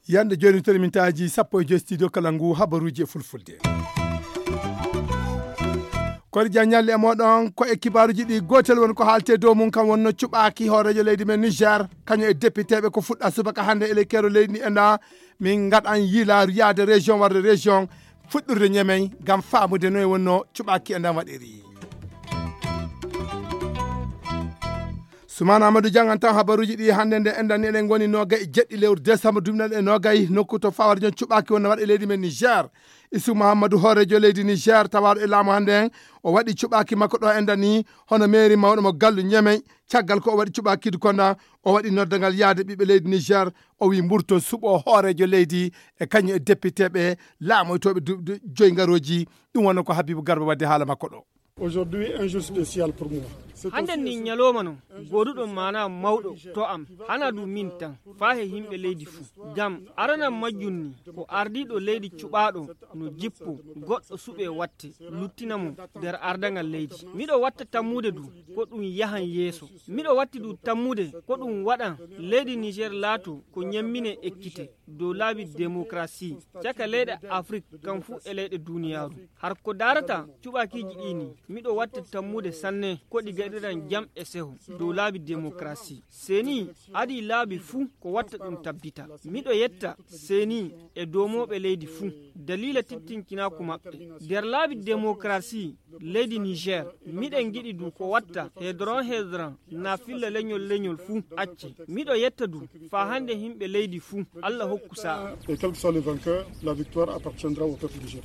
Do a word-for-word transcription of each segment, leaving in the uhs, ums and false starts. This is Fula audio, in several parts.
Yande joni toon min taaji sappo e joy studio kala ngu habaruji e fulfulde. Kori Dia ñalli e moɗon ko e kibaruji ɗi gotel woni ko haalte dow mum kam wonno cuɓaki hoorejo leydi men Niger kañum e député ɓe ko fuɗɗa subaka hande e lekkero leydi ndi enda min gaɗan yiilaru yaade région warde région fuɗɗurde ñemey ngam famude noye wonno cuɓaki e ndan waɗiri. Sumana Amadou jangan tan habaruji ɗi hande nde enɗan eɗen goni nogay e jeɗɗi lewru décembre duminaɗe e nogay nokku to fawar jon cuɓaki wonno waɗa e leydi men Niger. Isu Mahamadou hoorejo leydi Niger tawaɗo e laamu hande en o waɗi cuɓaki makko ɗo enɗan ni hono mairie mawɗo mo gallu ñemey. Caggal ko o waɗi cuɓakidu konda o waɗi noddagal yaade ɓiɓɓe leydi Niger o wi mburto suɓo hoorejo leydi e kañum e député ɓe laamoytoɓe duɓde joyi garoji. Ɗum wonno ko Habibu Garba wadde haala makko ɗo. Aujourd'hui un jour spécial pour moi. Hannden ni ñalooma non gooduɗo maanaa mawɗo to am, hanaa du min tan, faa he yimɓe leydi fuu. Ngam arana majjum ni ko ardiiɗo leydi cuɓaaɗo no jippo goɗɗo suɓee watte luttina mo nder ardaŋal leydi. Miɗo watta tammude du ko ɗum yahan yeeso. Miɗo watti du tammude ko ɗum waɗan leydi Niger laato ko ñemminee ekkite dow laabi demokarasi caka leyɗe Afrik kam fuu e leyɗe duniyaaru. Har ko daarata cuɓakiiji ɗi ni, miɗo watta tammude sanne ko ɗi gaɗiran jam e seho dow laabi demokarasi. Seni adii laabi fuu ko watta ɗum tabbita. Miɗo yetta seni e doomooɓe leydi fuu daliila tittinkinaaku maɓɓe. Nder laabi demokarasi leydi Niger, miɗen ngiɗi du ko watta hedron hedron na filla leñol leñol fuu acce. Miɗo yetta du faa hannde yimɓe leydi fuu, Allah hokku sa'a. Et quel que soit le vainqueur, la victoire appartiendra au peuple nigérien.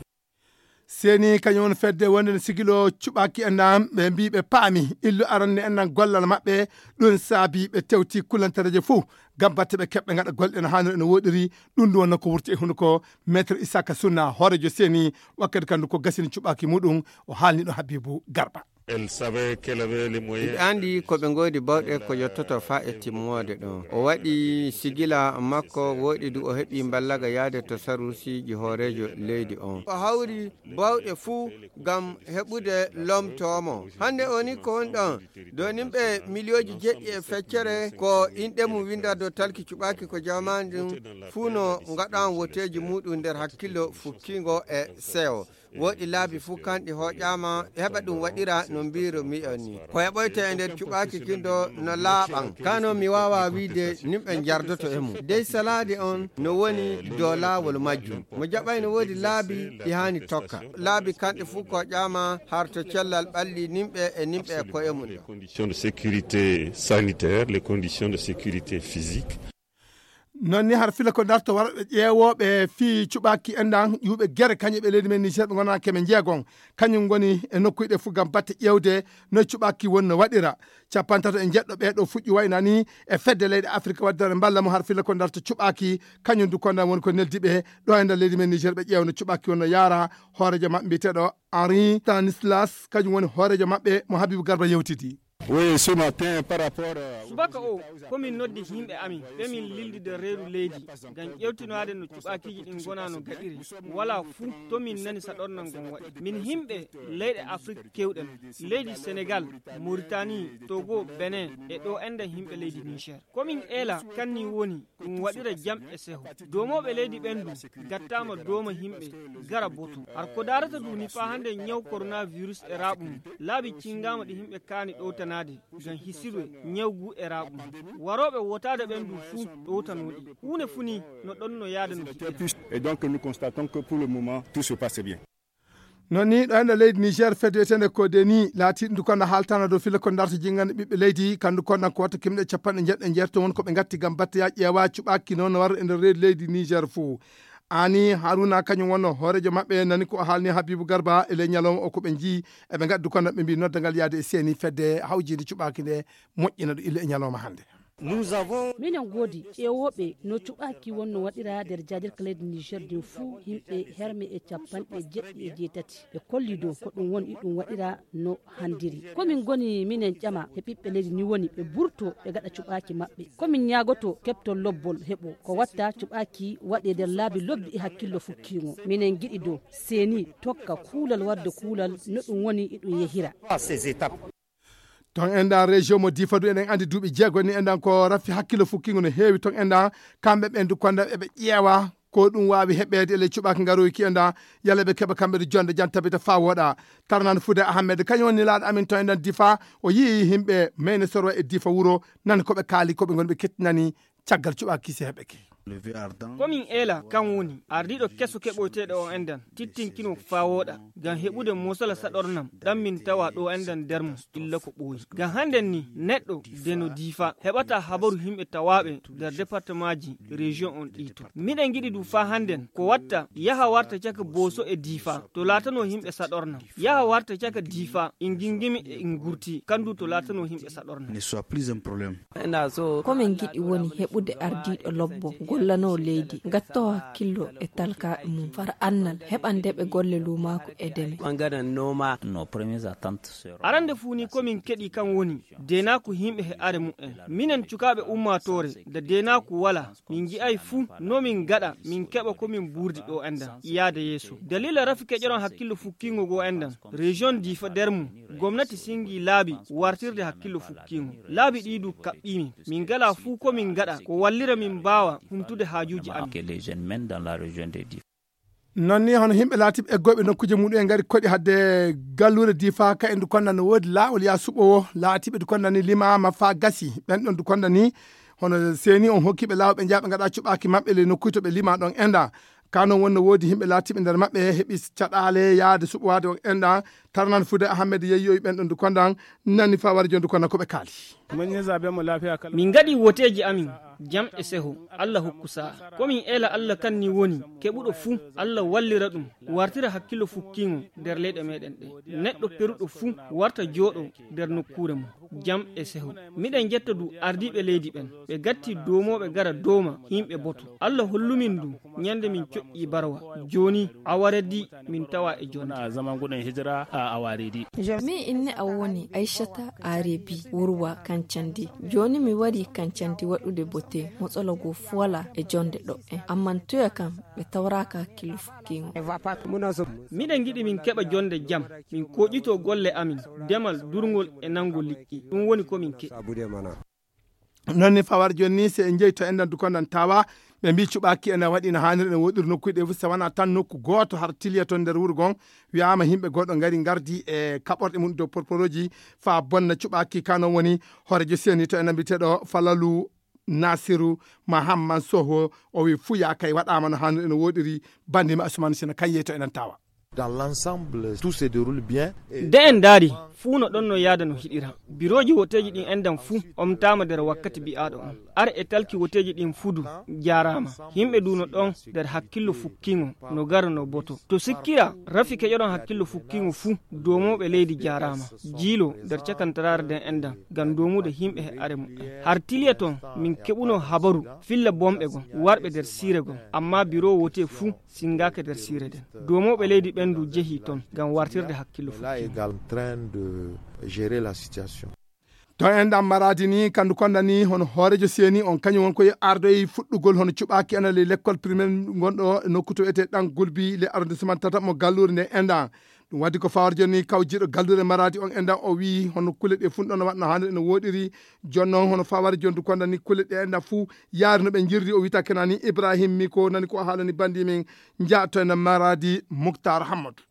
Seni kañum woni fedde wonde no sigilo cuɓaki enɗan ɓe mbi ɓe paami illu arande enɗan gollal maɓɓe. Ɗum saabi ɓe tewti kulantareje fof ngam batte ɓe keɓɓe gaɗa golle no haniri ene woɗiri. Ɗum ɗum wonno ko wurti e hunuko maître Isaka Sunna hoorejo seni wakkati kandu ko gasini cuɓaki muɗum. O haalni ɗo Habibu Garba. Elle savait qu'elle avait les moyens. Miɗo anndi ko ɓe ngoodi bawɗe ko yottoto faa e timmoode ɗon. O waɗi sigila makko wooɗi du o heɓi mballaga yaade to saruusiiji hooreejo leydi on. O hawri bawɗe fuu ngam heɓude lomtoomo. Hannde o ni ko woni ɗon. Donimɓe miliyooji jeɗɗi e feccere ko inɗe mum winda dow talki cuɓaaki ko jamaani ɗum fuu no ngaɗan woteeji muɗum nder hakkillo fukkingo e sewo. Woɗi laabi fuu kanɗi hoƴaama heɓa ɗum waɗira no mbiiro mi'on ni. Ko heɓoyte e nder cuɓaaki kindo no laaɓan. Kano mi waawa wiide nimɓe njardoto e mum. Dey salaade on no woni dow laawol majjum. Mo jaɓay no woodi laabi ɗi haani tokka. Laabi kanɗi fuu koƴaama har to cellal ɓalli nimɓe e nimɓe e koye mum ɗo. Conditions de sécurité sanitaire, les conditions de sécurité physique. Noon ni har fila ko darto warɓe ƴeewooɓe fii cuɓaaki enɗan ƴuuɓe gere kañum ɓe leydi men Niger ɓe ngonaa keme njeegon. Kañum ngoni e nokkuuji ɗe fof ngam batte ƴeewde no cuɓaaki won no waɗira. Capantato e njeɗɗo ɓee ɗo fuɗɗi wayna ni e fedde leyɗe Afirka waddere mballa mo har fila ko darto cuɓaaki. Kañum du kondan woni ko neldi ɓe ɗo e nder leydi men Niger ɓe ƴeewa no cuɓaaki won no yaara. Hooreejo maɓɓe mbiyeteeɗo Henri Stanislas kañum woni hooreejo maɓɓe mo Habibu Garba yewtidi. Oui, ce matin, par rapport, euh, subaka o komin noddi yimɓe amin ɓe min lildi nder reedu leydi ngam ƴewtinoade no cuɓaakiiji ɗin ngona no gaɗiri. Wala fuu to min nani saɗornal ngon waɗi min yimɓe leyɗe Afrik kewɗen, leydi Senegal, Moritani, Togo, Benin e ɗo enɗen yimɓe leydi Niger. Komin eela kanni woni ɗum waɗira jam e seho. Doomooɓe leydi ɓen du gattaama dooma yimɓe gara boto. Har ko daarata du ni faa hannde ñaw coronavirus e raaɓu mum laabi cingaama ɗi yimɓe kaani ɗowtanaade ngam hisirwe ñaw ngu e raaɓu mum. Warooɓe wotaade ɓen du fuu ɗowtanooɗi huunde fuu ni no ɗon no yaada no jiɗɗa. Et donc nous constatons que pour le moment tout se passe bien. Noon ni ɗo enɗo leydi Niger fedde wiyetende ko deni laatiɗo ndu kono haaltana dow fila ko darta jingande ɓiɓɓe leydi kandu konɗan ko watta kimɗe capanɗe jeeɗiɗo e jeeto won ko ɓe gatti gam batte ya ƴeewa cuɓaki noon no warra e nder reedu leydi Niger fuu. Ani Haruna kañum wonno hooreejo maɓɓe nani ko o haalni Habibu Garba e ley ñalawma o ko ɓe njii eɓe ngaddu kono ɓe mbi noddagal yaade e seeni fedde hawjinde cuɓaki nde moƴƴina ɗo ille e ñalawma hannde. Minen ngoodi ƴeewooɓe no cuɓaaki wonno waɗira nder jaadirka leydi Niger ndin fuu, yimɓe herme e capanɗe jeɗɗi e jeetati. Ɓe kolli dow ko ɗum woni iɗum waɗira no handiri. Ko min ngoni minen ƴama he ɓiɓɓe leydi ni woni ɓe burto ɓe gaɗa cuɓaaki maɓɓe. Ko min ñaagoto keɓtol lobbol heɓo ko watta cuɓaaki waɗe nder laabi lobbi e hakkillo fukkiingo. Minen ngiɗi dow seeni tokka kuulal wadde kuulal no ɗum woni iɗum yehira. Ton enɗan région mo Difa du eɗen andi duuɓi jeego ni enɗan ko raffi hakkillo fukkingo no heewi ton enɗan. Kamɓe ɓen du konda eɓe ƴeewa ko ɗum waawi heɓeede e ley cuɓaaki ngaroyki enɗan. Yalla ɓe keɓa kamɓe du jonde jan tabita faa wooɗa. Tarnan Fude Ahmed kañum woni laaɗo amin ton enɗan Difa. O yii himɓe meyne sorwa e Difa wuro nani ko ɓe kaali ko ɓe ngoni ɓe kettinani caggal cuɓaaki si heɓeke. Komin eela kan woni ardiiɗo keso keɓoyteeɗo on enɗan tittinkino faa wooɗa ngam heɓude mosala saɗornam ɗan min tawa ɗo enɗan nder mo illa ko ɓooyi. Ngam hannden ni neɗɗo de no Difa heɓata habaru himɓe tawaaɓe nder departemaaji rejiyon on ɗii to. Miɗen ngiɗi du faa hannden ko watta yaha warta caka Booso e Difa to laatanoo himɓe saɗornam. Yaha warta caka Difa in gingimi e in gurti kan du to laatanoo himɓe saɗornam. Ko min ngiɗi woni heɓude ardiiɗo lobbo gollanoo leydi gattoo hakkillo e talkaaɓe mum fara annal heɓande ɓe golle luumaaku e deme. Arande fuu ni ko min keɗi kan woni deenaaku himɓe he are mu'en. Minen cukaaɓe ummaatoore da deenaaku walaa min ngi'ay fuu no min gaɗa min keɓa ko min buurdi ɗo enɗan yaade yeeso. Daliila rafi keƴoron hakkillo fukkiingo goo enɗan rejiyon Difa nder mum gomnati singi laabi wartirde hakkillo fukkiingo. Laabi ɗii du kaɓɓiimin min ngalaa fuu ko min ngaɗa ko wallira min mbaawa humtude haajuuji amin. Non ni hono himɓe laatiɓe eggooɓe nokkuuje muɗum en ngari koɗi hadde galluure Difa ka en du konda no woodi laawol yaa suɓowo laatiɓe du konda ni limaama faa gasi ɓen ɗon du konda ni hono seeni on hokkiɓe laawol ɓe njaha ɓe ngaɗa cuɓaaki maɓɓe ley nokkuuje to ɓe lima ɗon enɗa. Ka non wonno woodi himɓe laatiɓe nder maɓɓe heɓi caɗaale yaade suɓowaade on enɗa. Tarnan Fude Ahmed yeyyoyi ɓen ɗon du kondan nani faa wari jon du kondan ko ɓe kaali. Min ngaɗi woteeji amin jam e seho. Allah hokku sa'a ko min eela Allah kan ni woni keɓuɗo fuu Allah wallira ɗum wartira hakkillo fukkiingo nder leyɗe meɗen ɗe. Neɗɗo peruɗo fuu warta jooɗo nder nokkuure mum jam e seho. Miɗen njetta du ardiiɓe leydi ɓen ɓe gatti doomooɓe gara dooma himɓe boto. Allah hollumin du ñande min coƴƴi barwa. Jooni awaredi min tawa e jonde. Min inne am woni Aishata Arebi wurwa kancandi. Jooni mi wari kancandi waɗude bote motsolo go fola e jonde ɗo'en amman toya kam ɓe tawraaka hakkillo fukkiingo. Miɗen ngiɗi min keɓa jonde jam min koƴito golle amin demal durngol e nango liƴƴi ɗum woni ko min keɗi. Non ni fawar jonni si en jeyi to enɗan dukondan tawa ɓe mbi cuɓaki ene waɗi no haniri ene woɗiri nokkuji ɗe fof si wona tan nokku goto har tiliya toon nder wuro gon. Wiyama yimɓe goɗɗo ngari ngardi e kaɓorɗe mum dow porporoji fa bonna cuɓaki ka non woni hoorejo seni to enen mbiteɗo Falalu Nasiru Mahamman Soho. O wi fuu yakay waɗama no haniri ene woɗiri. Bandima Asumani Sina kan yehi to enen tawa. Dans l'ensemble tout se déroule bien. Nde en ndaari fuu no ɗon no yaada no hiɗira. Birooji woteeji ɗin enɗan fuu omtaama nder wakkati bi'aaɗo on. Ar e talki woteeji ɗin fuu du jaaraama. Yimɓe du no ɗon nder hakkillo fukkiingo no gara no boto. To sikkira rafi keƴoɗon hakkillo fukkiingo fuu doomooɓe leydi jaaraama. Jiilo nder cakantaraare nden enɗan ngam doomude yimɓe he are muɓɓen. Har tiliya ton min keɓuno habaru filla bomɓe gon warɓe nder siire gon. Amma biroo wotee fuu singaaka nder siire nden. Doomooɓe leydi ɓen du jehi ton ngam wartirde hakkillo fukkiingo. To enɗan Maradi ni kandu konda ni hono hoorejo seni on kañum won koye ardoyi fuɗɗugol hono cuɓaki ena ley lekkol primaire gonɗo e nokku to wiyete ɗan gulbi le arrondissement tata mo gallure nde enɗan. Ɗum waddi ko fawar joni kawjiɗo gallure Maradi on enɗan o wi hono kulle ɗe fuu ɗon no waɗno hande no woɗiri. Jon noon hono fawar joni du konda ni kulle ɗe enɗan fuu yaari no ɓe jirdi o wita kena ni Ibrahim mi ko nani ko haalani bandi min. Jaa to enɗan Maradi Muktar Hammadou.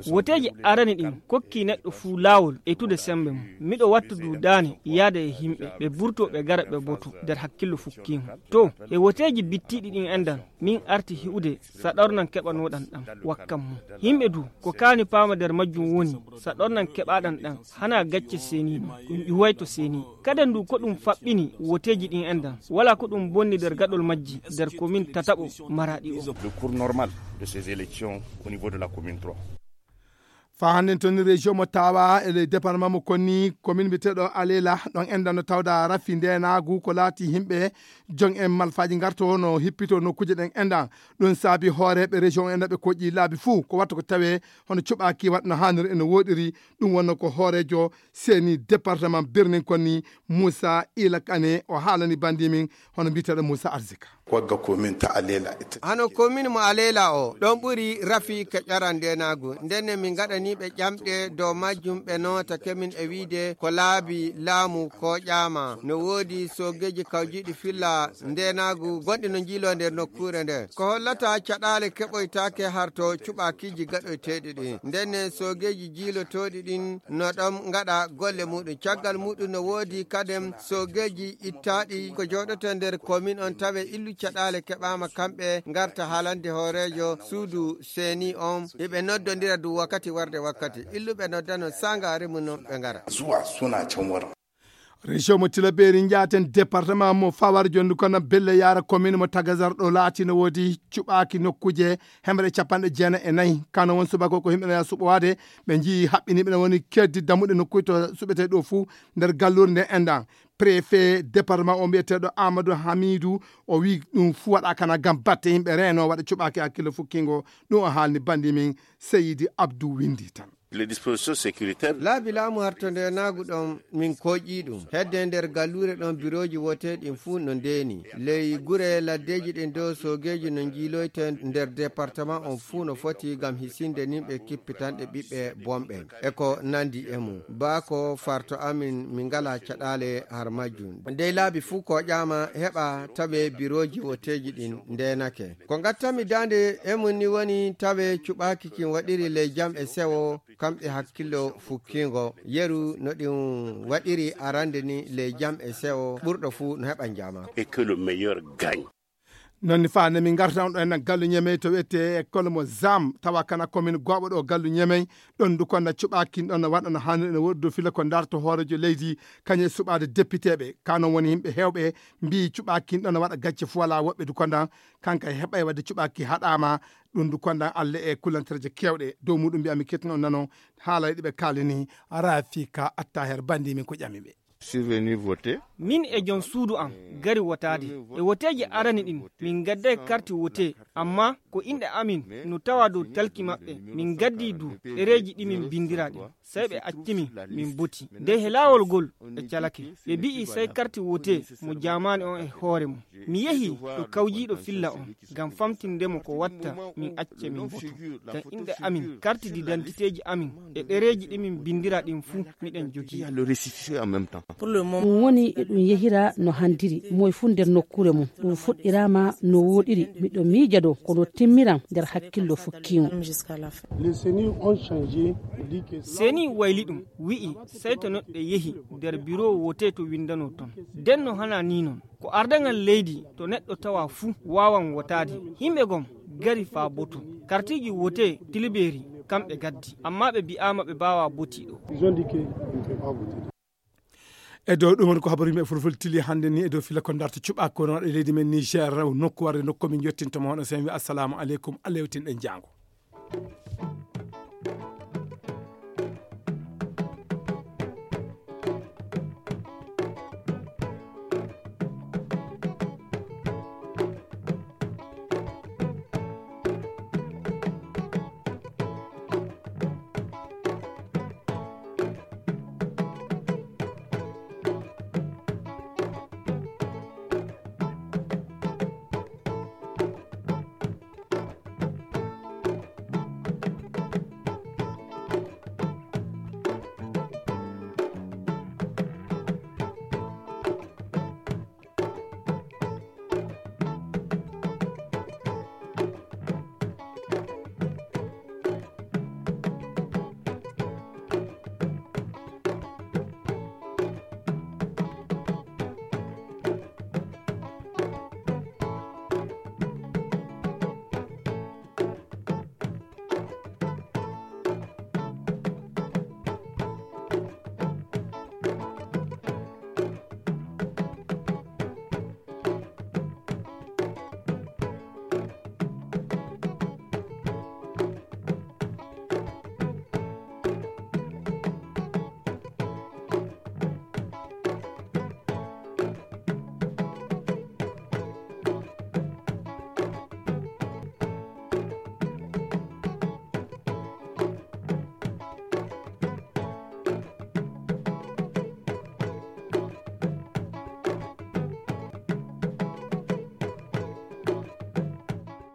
Woteeji arani ɗin kokki neɗɗo fuu laawol etude sembe mum. Miɗo wattu du daane yaada e himɓe ɓe burto ɓe gara ɓe boto nder hakkillo fukkiingo. To e woteeji bittiiɗi ɗin enɗan min arti hi'ude saɗornan keɓanoɗan ɗan wakkan mum. Himɓe du ko kaani paama nder majjum woni saɗornan keɓaɗan ɗan hana gacce seniiɗo ɗum ƴuway to seni. Kaden du ko ɗum faɓɓini woteeji ɗin enɗan wala ko ɗum bonni nder gaɗol majji nder komin tataɓo Maraɗi o. Le cours normal de ces élections au niveau de la commune trois. Faa hannden toon, région mo Tawa e le département mo Konni, commune mbiyeteeɗo Alela, ɗon enɗan no tawda rafi ndeenaagu ko laati yimɓe jon en malfaaji ngarto no hippito nokkuuje ɗen enɗan. Ɗum saabi hooreeɓe région en ɓe koƴƴi laabi fuu ko watta ko tawee hono cuɓaaki waɗa no haaniri e no wooɗiri. Ɗum wonno ko hooreejo seeni département Birnin Konni, Moussa Ila Kane, o haalani banndi min hono mbiyeteeɗo Moussa Arzika. Wagga komin ta Alela ita. Hano komin mo Alela o, ɗon ɓuri rafi ka ƴaran ndenaagu. Ndenne min ngaɗani ɓe ƴamɗe dow majjum, ɓe noota kemin e wiide ko laabi laamu ko ƴaama. No woodi soogeeji kawjiiɗi filla ndenaagu gonɗi no njiiloo nder nokkuure nde. Ko hollata caɗaale keɓoytaake harto cuɓaakiiji gaɗoyteeɗi ɗin. Ndenne soogeeji jiilotooɗi ɗin no ɗon ngaɗa golle muɗum. Caggal muɗum no woodi kaden soogeeji ittaaɗi ko jooɗoto nder komin on tawe illu caɗaale keɓaama kamɓe ngarta haalande hooreejo suudu seeni on. Eɓe noddondira du wakkati warde wakkati. Illuɓe noddano sangaare mum non ɓe ngara. Zuwa suna can wurin. Région mo Tilaberi njaaten département mo Fawar jondu kono belle yaara commune mo Tagazar ɗo laati no woodi cuɓaaki nokkuuje hemre capanɗe jeenayi e nayi. Kano won subako ko yimɓe no yaa suɓowaade, ɓe njii haɓɓiniiɓe no woni keddi dammuɗe nokkuuje to suɓetee ɗo fuu nder galluure nde enɗan. Préfet département o mbiyeteeɗo Amadou Hamidou, o wii ɗum fuu waɗa kana ngam batte yimɓe reeno waɗa cuɓaaki hakkille fukkingo. Ɗum o haalni banndi min Seydi Abdou Windi tan. Les dispositions sécuritaires. Laabi laamu harto ndenaagu ɗon min koƴƴii ɗum. Hedde nder galluure ɗon birooji woteeɗi ɗin fuu no ndeeni. Ley gure laddeeji ɗin dow soogeeji no njiiloyte nder département on fuu no foti ngam hisinde nimɓe kippitanɗe ɓiɓɓe bonɓe. E ko nandi e mum. Baa ko farto amin min ngala caɗaale har majjum. Dey laabi fuu koƴaama heɓa tawe birooji woteeji ɗin ndeenake. Ko ngattami daande e mum ni woni tawe cuɓaaki kin waɗiri ley jam e sewo, kamɓe hakkillo fukkingo. Yeru no ɗum waɗiri arande ni ley jam e sewo, ɓurɗo fuu no heɓa njaama. Et que le meilleur gagne. Non ni faa ne min ngarta on ɗo en gallu ñemey to wiyetee école mo Zam, tawa kana commune Gooɓo ɗo gallu ñemey. Ɗon du konda cuɓaakin ɗon no waɗa no haaniri no woodi dow fila ko ndarto hooreejo leydi, kañum e suɓaade depiteeɓe. Ka non woni yimɓe heewɓe mbii cuɓaakin ɗon no waɗa gacce fuu alaa woɓɓe du konda, kanka e heɓay waɗde cuɓaaki haɗaama. Ɗum du konda Alla e kullantereeje keewɗe. Dow muɗum mbiya mi kettin on nano haalay ɗi ɓe kaalini. Rafika Attaher banndi min ko ƴami ɓe. Survenu voté. Min e jom suudu am gari wotaade. E woteeji arani ɗin, min gadday karti wote, amma ko inɗe amin no tawa dow talki maɓɓe. Min gaddi du ɗereeji ɗi min bindira ɗin. Sey ɓe acci min, min boti. Dey he laawol ngol ɓe calake. Ɓe bi'i sey karti wote mo jaamaani on e hoore mum. Mi yehi to kawjiiɗo filla on, ngam famtinde mo ko watta min acce min boto. Ngam inɗe amin, karti didantiteeji amin, e ɗereeji ɗi min bindira ɗin fuu, miɗen jogii. Il y a le récépissé en même temps. Ɗum woni e ɗum yehira no handiri, moy fuu nder nokkuure mum. Ɗum fuɗɗiraama no wooɗiri, miɗo miija dow kono timmiran nder hakkillo fukkiingo. Les C E N I ont changé, dit que Seni wayli ɗum, wi'i sey to neɗɗo yehi nder biro wote to winndano ton. Nden no hana ni non. Ko ardaŋal leydi to neɗɗo tawa fuu waawan wotaade. Yimɓe gom gari faa boto. Kartiiji wote Tilbeeri kamɓe gaddi, amma ɓe bi'aama ɓe mbaawaa botii ɗo. Ils ont dit que ils ne peuvent pas voter. E dow ɗum woni ko habaru yimɓe fulfulde tili hannde ni e dow fila ko darta cuɓaako no waɗa e leydi men Niger, nokku warde nokku min yettinto mo hono sen wi assalamu aleykum, Allah yewtin ɗen jaango.